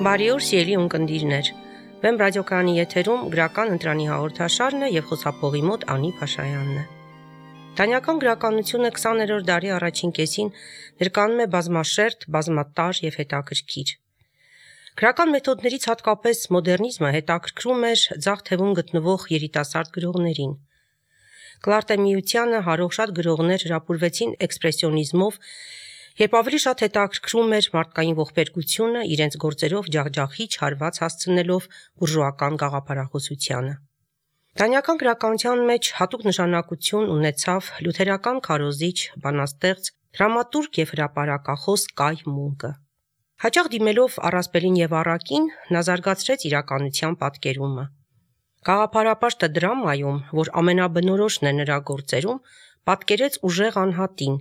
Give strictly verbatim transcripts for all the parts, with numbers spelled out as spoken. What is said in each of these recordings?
Բարի օր, սիրելի ունկնդիրներ։ Վեմ ռադիոկայանի եթերում գրական ընտրանի հաղորդաշարն է եւ խոսափողի մոտ Անի Փաշայանն է։ Դանիական գրականությունը քսաներորդ դարի առաջին կեսին ներկանում է բազմաշերտ, բազմատար եւ հետաքրքիր։ Գրական մեթոդներից հատկապես մոդեռնիզմը հետաքրքրում էր ձախ թևում գտնվող երիտասարդ գրողներին։ Կլարտեմիությանը հարող շատ գրողներ հրապուրվեցին էքսպրեսիոնիզմով, երբ ավելի շատ հետաքրքրում էր մարդկային ողբերգությունը իրենց գործերով ջախջախիչ հարված հասցնելով բուրժուական գաղափարախոսությանը։ Դանիական գրականության մեջ հատուկ նշանակություն ունեցավ լյութերական քարոզիչ, բանաստեղծ, դրամատուրգ եւ հրապարակախոս Կայ Մունկը։ Հաճախ դիմելով առասպելին եւ առակին, նա զարգացրեց իրականության պատկերումը։ Գաղափարապաշտը դրամայում, որ ամենաբնորոշն է նրա գործերում, պատկերեց ուժեղ անհատին,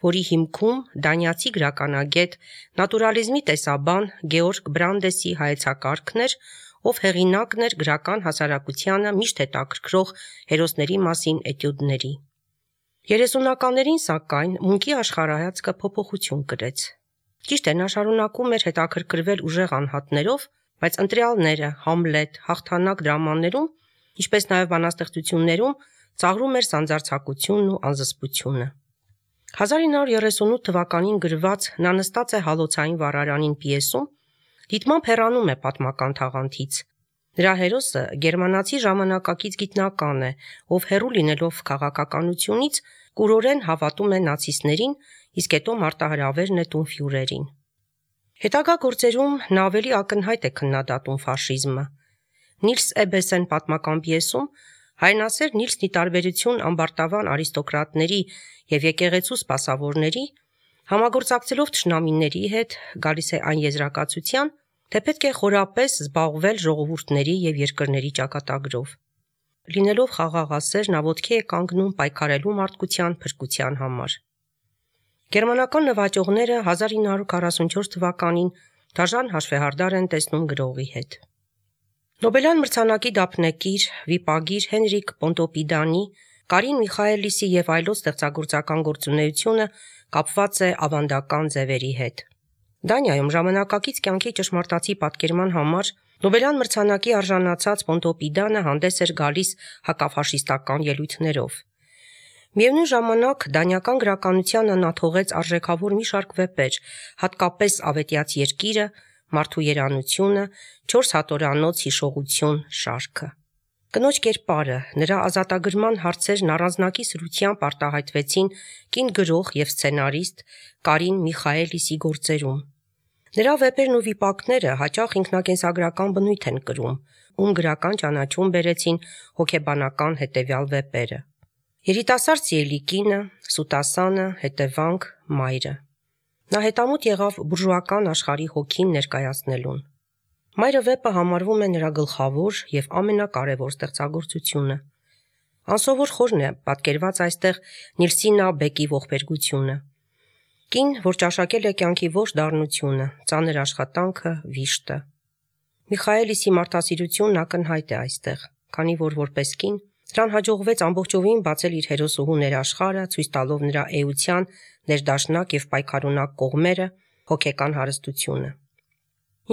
որի հիմքում դանիացի գրականագետ, նատուրալիզմի տեսաբան Գեորգ Բրանդեսի հայեցակարգն էր, ով հեղինակն էր գրական հասարակությանը միշտ հետաքրքրող հերոսների մասին էտյուդների։ երեսունականներին, սակայն, Մունկի աշխարհայացքը փոփոխություն կրեց։ Ճիշտ է, նա շարունակում էր հետաքրքրվել ուժեղ անհատներով, բայց ընտրյալները, Համլետ, հաղթանակ դրամաներում, ինչպես նաև բանաստեղծություններում, ծաղրում էր սանձարձակությունն ու անզսպությունը։ հազար ինը հարյուր երեսունութ թվականին գրված «Նա նստած է հալոցային վառարանին» պիեսում դիտմամբ հեռանում է պատմական թաղանթից։ Նրա հերոսը գերմանացի ժամանակակից գիտնական է, ով հեռու լինելով քաղաքականությունից կուրորեն հավատում է նացիստներին, իսկ հետո մարտահրավեր նետում ֆյուրերին։ Հետագա գործերում նա ավելի ակնհայտ է քննադատում ֆաշիզմը։ Նիլս Էբեսեն պատմական պիեսում հայրենասեր Նիլսն ի տարբերություն ամբարտավան արիստոկրատների եւ եկեղեցու սպասավորների, համագործակցելով թշնամիների հետ, գալիս է այն եզրակացության, թե պետք է խորապես զբաղվել ժողովուրդների եւ երկրների ճակատագրով։ Լինելով խաղաղասեր, նա ոտքի է կանգնում պայքարելու մարդկության փրկության համար։ Գերմանական նվաճողները հազար ինը հարյուր քառասունչորս թվականին դաժան հաշվեհարդար են տեսնում գրողի հետ։ Նոբելյան մրցանակի դափնեկիր, վիպագիր Հենրիկ Պոնտոպիդանի, Կարին Միխայելիսի եւ այլոց ստեղծագործական գործունեությունը կապված է ավանդական ձևերի հետ։ Դանիայում ժամանակակից կյանքի ճշմարտացի պատկերման համար Նոբելյան մրցանակի արժանացած Պոնտոպիդանը հանդես էր գալիս հակաֆաշիստական ելույթներով։ Միևնույն ժամանակ դանիական գրականությանը նա թողեց արժեքավոր մի շարք վեպեր, հատկապես Ավետյաց երկիրը, Մարդու երանությունը, Չորս հատորանոց հիշողություն շարքը։ Կնոջ կերպարը, նրա ազատագրման հարցերն առանձնակի սրությամբ արտահայտվեցին կին գրող եւ սցենարիստ Կարին Միխայելիսի գործերում։ Նրա վեպերն ու վիպակները հաճախ ինքնակենսագրական բնույթ են կրում, ում գրական ճանաչում բերեցին հոգեբանական հետևյալ վեպերը. Երիտասարդ սիրելի կինը, Սուտասանը, հետևանք, մայրը։ Նա հետամուտ եղավ բուրժուական աշխարհի հոգին ներկայացնելուն։ Մայրը վեպը համարվում է նրա գլխավոր եւ ամենակարևոր ստեղծագործությունը։ Անսովոր խորն է պատկերված այստեղ Նիլսինա Բեկի ողբերգությունը։ Կին, որ ճաշակել է կյանքի ողջ դառնությունը, ծանր աշխատանքը, վիշտը։ Միխայելիսի մարդասիրությունն ակնհայտ է այստեղ, քանի որ որպես կին նրան հաջողվեց ամբողջովին բացել իր հերոսուհու ներաշխարհը, ցույց տալով նրա էության ներդաշնակ եւ պայքարունակ կողմերը, հոգեկան հարստությունը։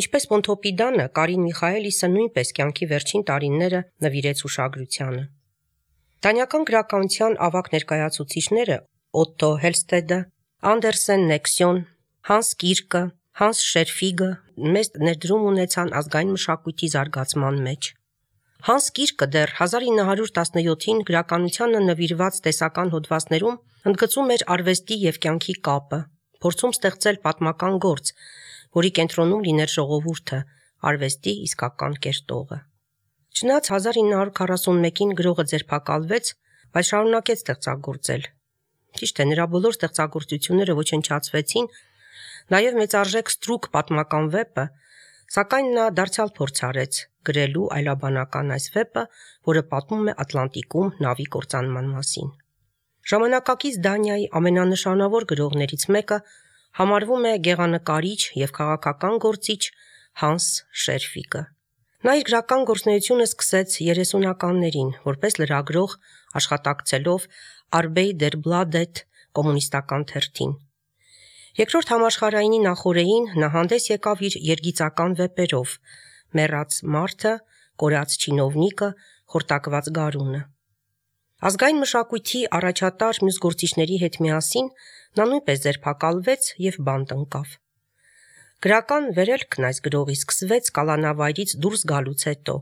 Ինչպես Պոնտոպիդանը, Կարին Միխայելիսը նույնպես կյանքի վերջին տարիները նվիրեց ուշադրությանը։ Դանիական գրականության ավագ ներկայացուցիչները Օտտո Հելստեդը, Անդերսեն Նեքսյոն, Հանս Կիրկը, Հանս Շերֆիգը մեծ ներդրում ունեցան ազգային մշակույթի զարգացման մեջ։ Հանս Կիրկը դեռ հազար ինը հարյուր տասնյոթին գրականությանը նվիրված տեսական հոդվածներում ընդգծում էր արվեստի եւ կյանքի կապը, փորձում ստեղծել պատմական գործ, որի կենտրոնում լիներ ժողովուրդը, արվեստի իսկական կերտողը։ Չնայած հազար ինը հարյուր քառասունմեկին գրողը ձերբակալվեց, բայց շարունակեց ստեղծագործել։ Ճիշտ է, նրա բոլոր ստեղծագործությունները ոչնչացվեցին, նաև մեծարժեք Ստրուկ պատմական վեպը, սակայն նա դարձյալ փորձ արեց գրելու այլաբանական այս վեպը, որը պատմում է Ատլանտիկում նավի կործանման մասին։ Ժամանակակից Դանիայի ամենանշանավոր գրողներից մեկը համարվում է գեղանկարիչ եւ քաղաքական գործիչ Հանս Շերֆիգը։ Նա իր գրական գործունեությունը սկսեց երեսունականներին, որպես լրագրող աշխատակցելով Arbeider Bladet կոմունիստական թերթին։ Երկրորդ համաշխարհայինի նախօրեին նա հանդես եկավ իր երգիծական վեպերով «Մեռած մարդը», «Կորած չինովնիկը», «Խորտակված գարունը»։ Ազգային մշակույթի առաջատար մյուս գործիչների հետ միասին նա նույնպես ձերբակալվեց եւ բանտ ընկավ։ Գրական վերելքն այս գրողի սկսվեց կալանավայրից դուրս գալուց հետո։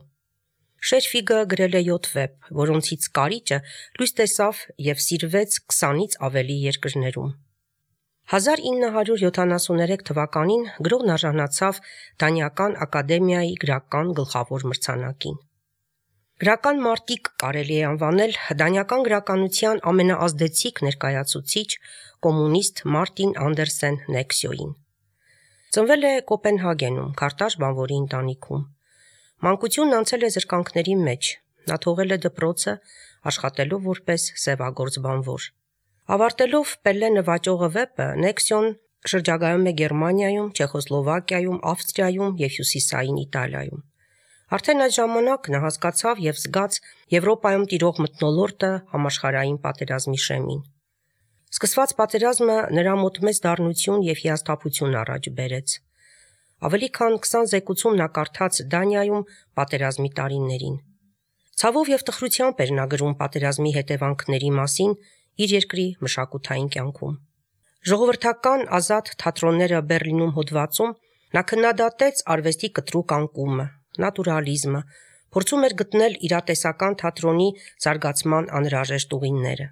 Շերֆիգը գրել է յոթ վեպ, որոնցից կարիճը լույս տեսավ եւ սիրվեց քսանից ավելի երկրներում։ հազար ինը հարյուր յոթանասուներեք թվականին գրողն արժանացավ Դանիական ակադեմիայի գրական գլխավոր մրցանակին։ Գրական մարտիկ կարելի է անվանել դանիական գրականության ամենաազդեցիկ ներկայացուցիչ կոմունիստ Մարտին Անդերսեն Նեքսյոին։ Ծնվել է Կոպենհագենում, քարտաշ բանվորի ընտանիքում։ Մանկությունն անցել է զրկանքների մեջ։ Նա թողել է դպրոցը, աշխատելով որպես սևագործ բանվոր։ Ավարտելով Պելլե նվաճողը վեպը, Նեքսյոն շրջագայում է Գերմանիայում, Չեխոսլովակիայում, Ավստրիայում եւ Հյուսիսային Իտալիայում։ Արդեն այդ ժամանակ նա հասկացավ եւ զգաց Եվրոպայում տիրող մթնոլորտը համաշխարհային պատերազմի շեմին։ Սկսված պատերազմը նրա մոտ մեծ դառնություն եւ հիասթափություն առաջ բերեց։ Ավելի քան քսան զեկուցում նա կարդաց Դանիայում պատերազմի տարիներին։ Ցավով եւ տխրությամբ էր նա գրում պատերազմի հետևանքների մասին իր երկրի մշակութային կյանքում։ Ժողովրդական ազատ թատրոնները Բեռլինում հոդվածում նա քննադատեց արվեստի կտրուկ անկումը, նատուրալիզմը, փորձում էր գտնել իրատեսական թատրոնի զարգացման անհրաժեշտ ուղիները։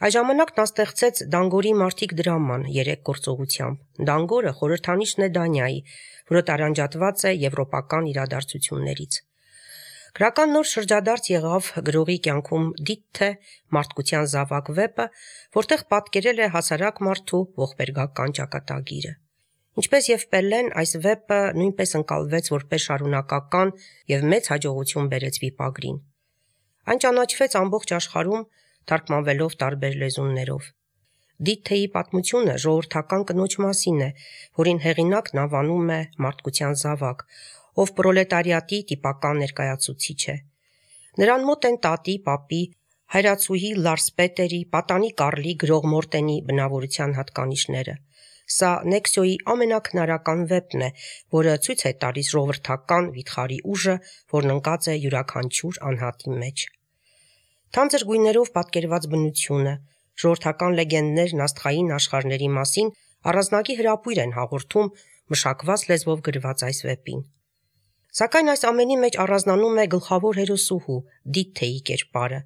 Այս ժամանակ նա ստեղծեց Դանգորի մարդիկ դրաման երեք գործողությամբ։ Դանգորը խորհրդանիշն է Դանիայի, որը տարանջատված է եվրոպական իրադարձություններից։ Գրական նոր շրջադարձ եղավ գրողի կյանքում Դիթթե մարդկության զավակ վեպը, որտեղ պատկերել է հասարակ մարդու ողբերգական ճակատագիրը։ Ինչպես եւ Պելլեն, այս վեպը նույնպես ընկալվեց որպես շարունակական եւ մեծ հաջողություն բերեց վիպագրին։ Այն ճանաչվեց ամբողջ աշխարհում, թարգմանվելով տարբեր լեզուներով։ Դիթթեի պատմությունը ժողովրդական կնոջ մասին է, որին հեղինակն անվանում է մարդկության զավակ, ով պրոլետարիատի տիպական ներկայացուցիչ է։ Նրան մոտ են տատի, պապի, հայրացուհի Լարս Պետերի, պատանի Կարլի, գրող Մորտենի բնավորության հատկանիշները։ Սա Նեքսյոյի ամենաքնարական վեպն է, որը ցույց է տալիս ժողովրդական վիթխարի ուժը, որն ընկած է յուրաքանչյուր անհատի մեջ։ Թանձր գույներով պատկերված բնությունը, ժողովրդական լեգենդներն աստղային աշխարհների մասին առանձնակի հրապույր են հաղորդում մշակված լեզվով գրված այս վեպին։ Սակայն այս ամենի մեջ առանձնանում է գլխավոր հերոսուհու Դիթթեի կերպարը։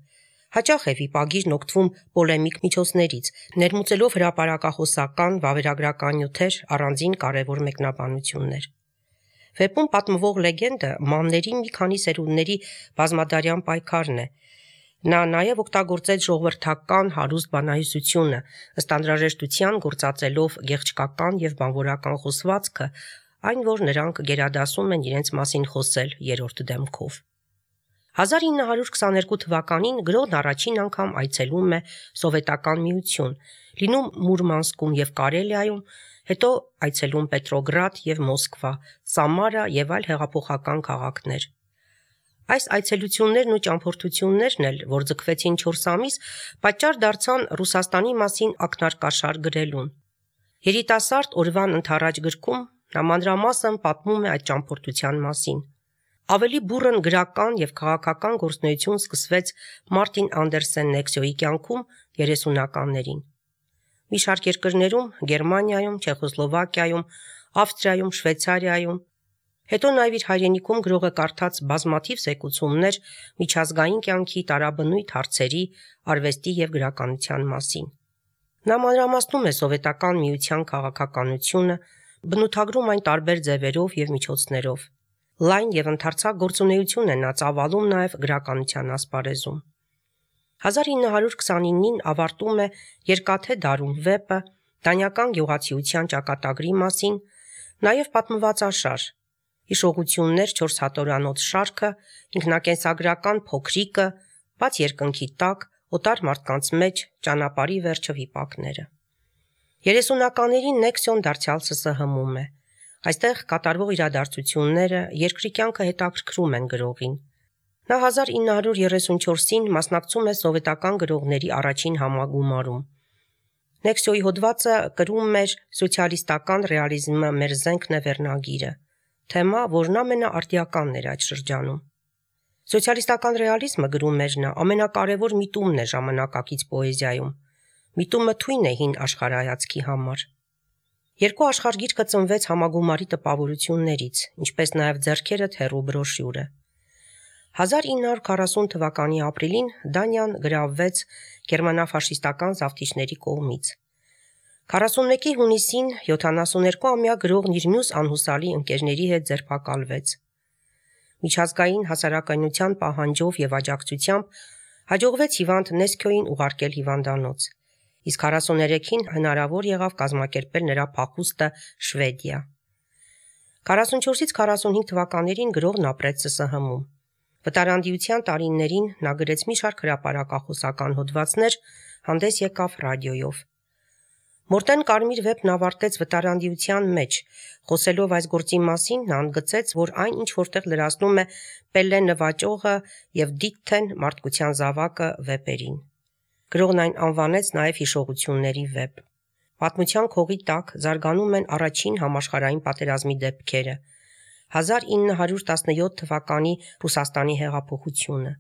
Հաճախ է վիպագիրն օգտվում պոլեմիկ միջոցներից, ներմուծելով հրապարակախոսական, վավերագրական նյութեր, առանձին կարևոր մեկնաբանություններ։ Վեպում պատմվող լեգենդը մանների մի քանի սերունդների բազմադարյան պայքարն է։ Նա նաև օգտագործեց ժողովրդական հարուստ բանահյուսությունը, ըստ անհրաժեշտության գործածելով գեղչկական եւ բանվորական խոսվածքը, այն որ նրանք գերադասում են իրենց մասին խոսել երրորդ դեմքով։ հազար ինը հարյուր քսաներկու թվականին գրողն առաջին անգամ այցելում է Սովետական Միություն, լինում Մուրմանսկում եւ Կարելիայում, հետո այցելում Պետրոգրադ եւ Մոսկվա, Սամարա եւ այլ հեղափոխական քաղաքներ։ Այս այցելություններն ու ճամփորդություններն էլ, որ ձգվեցին չորս ամիս, պատճառ դարձան Ռուսաստանի մասին ակնարկաշար գրելուն։ Երիտասարդ օրվան ընթառաջ գրքում նա մանրամասն պատմում է այդ ճամփորդության մասին։ Ավելի բուռն գրական եւ քաղաքական գործունեություն սկսվեց Մարտին Անդերսեն Նեքսյոյի կյանքում երեսունականներին։ Մի շարք երկրներում՝ Գերմանիայում, Չեխոսլովակիայում, Ավստրիայում, Շվեյցարիայում, հետո նաև իր հայրենիքում գրողը կարդաց բազմաթիվ զեկուցումներ միջազգային կյանքի տարաբնույթ հարցերի, արվեստի եւ գրականության մասին։ Նա մանրամասնում է Սովետական Միության քաղաքականությունը, բնութագրում այն տարբեր ձևերով եւ միջոցներով։ Լայն եւ ընդարձակ գործունեություն է նա ծավալում նաեւ գրականության ասպարեզում։ հազար ինը հարյուր քսանինին ավարտում է Երկաթե դարում վեպը դանիական գյուղացիության ճակատագրի մասին, նաեւ պատմվածաշար, հիշողություններ չորս հատորանոց շարքը, ինքնակենսագրական փոքրիկը, բաց երկնքի տակ, օտար մարդկանց մեջ, ճանապարհի վերջը վիպակները։ երեսունականներին Նեքսյոն դարձյալ ՍՍՀՄ-ում է։ Այստեղ կատարվող իրադարձությունները երկրի կյանքը հետաքրքրում են գրողին։ Նա հազար ինը հարյուր երեսունչորսին մասնակցում է սովետական գրողների առաջին համագումարում։ Նեքսիոյի հոդվածը կրում էր սոցիալիստական ռեալիզմը մեր զենքն է վերնագիրը, թեմա, որն ամենաարդիականն էր այդ շրջանում։ Սոցիալիստական ռեալիզմը, գրում էր նա, ամենակարևոր միտումն է ժամանակակից պոեզիայում։ Միտումը թույն է հին աշխարհայացքի համար։ Երկու աշխարհգիրքը ծնվեց համագումարի տպավորություններից, ինչպես նաև ձեռքերդ հեռու բրոշյուրը։ հազար ինը հարյուր քառասուն թվականի ապրիլին Դանիան գրավվեց գերմանա-ֆաշիստական զավթիչների կողմից։ քառասունմեկի հունիսին յոթանասուներկուամյա գրողն իր մյուս անհուսալի ընկերների հետ ձերբակալվեց։ Միջազգային հասարակայնության պահանջով եւ աջակցությամբ հաջողվեց հիվանդ Նեսքյոյին ուղարկել հիվանդանոց, իսկ քառասուներեքին հնարավոր եղավ կազմակերպել նրա փախուստը Շվեդիա։ քառասունչորսից քառասունհինգ թվականներին գրողն ապրեց ՍՍՀՄ-ում։ Վտարանդիության տարիներին նա գրեց մի շարք հրապարակախոսական հոդվածներ, հանդես եկավ ռադիոյով։ Մորտեն Կարմիր վեպն ավարտեց վտարանդիության մեջ, խոսելով այս գործի մասին նա ընդգծեց, որ այն ինչ որտեղ լրացնում է Պելլե նվաճողը եւ Դիթթեն մարդկության զավակը վեպերին։ Գրողն այն անվանեց նաև հիշողությունների վեպ։ Պատմության քողի տակ զարգանում են առաջին համաշխարհային պատերազմի դեպքերը, հազար ինը հարյուր տասնյոթ թվականի Ռուսաստանի հեղափոխությունը,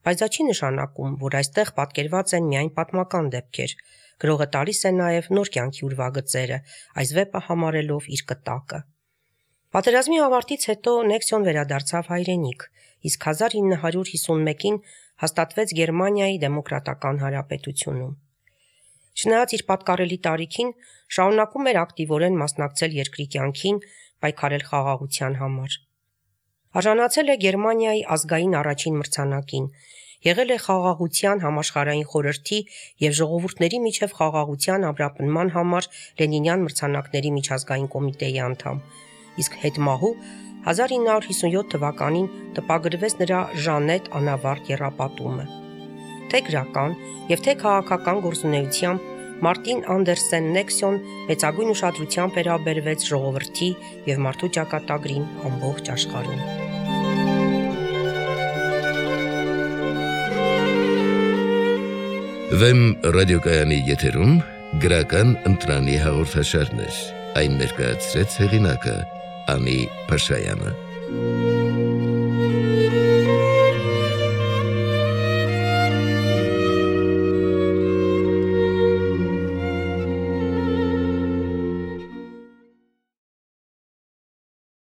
բայց դա չի նշանակում, որ այստեղ պատկերված են միայն պատմական դեպքեր։ Գրողը տալիս է նաև նոր կյանքի ուրվագծերը, այս վեպը համարելով իր կտակը։ Պատերազմի ավարտից հետո Նեքսիոն վերադարձավ հայրենիք, իսկ հազար ինը հարյուր հիսունմեկին հաստատվեց Գերմանիայի դեմոկրատական հանրապետությունում։ Չնայած իր պատկառելի տարիքին, շարունակում էր ակտիվորեն մասնակցել երկրի կյանքին, պայքարել խաղաղության համար։ Արժանացել է Գերմանիայի ազգային առաջին մրցանակին, եղել է խաղաղության համաշխարհային խորհրդի եւ ժողովուրդների միջև խաղաղության ամրապնման համար Լենինյան մրցանակների միջազգային կոմիտեի անդամ, իսկ հետմահու հազար ինը հարյուր հիսունյոթ թվականին տպագրվեց նրա Ժանետ անավարտ եռապատումը։ Թե գրական եւ թե քաղաքական գործունեությամբ Մարտին Անդերսեն Նեքսիոն մեծագույն ուշադրությամբ վերաբերվեց ժողովրդի եւ մարդու ճակատագրին ամբողջ աշխարհում։ Վեմ ռադիոկայանի եթերում գրական ընտրանի հաղորդաշարներ, այն ներկայացրեց հեղինակը Անի Փաշայանը։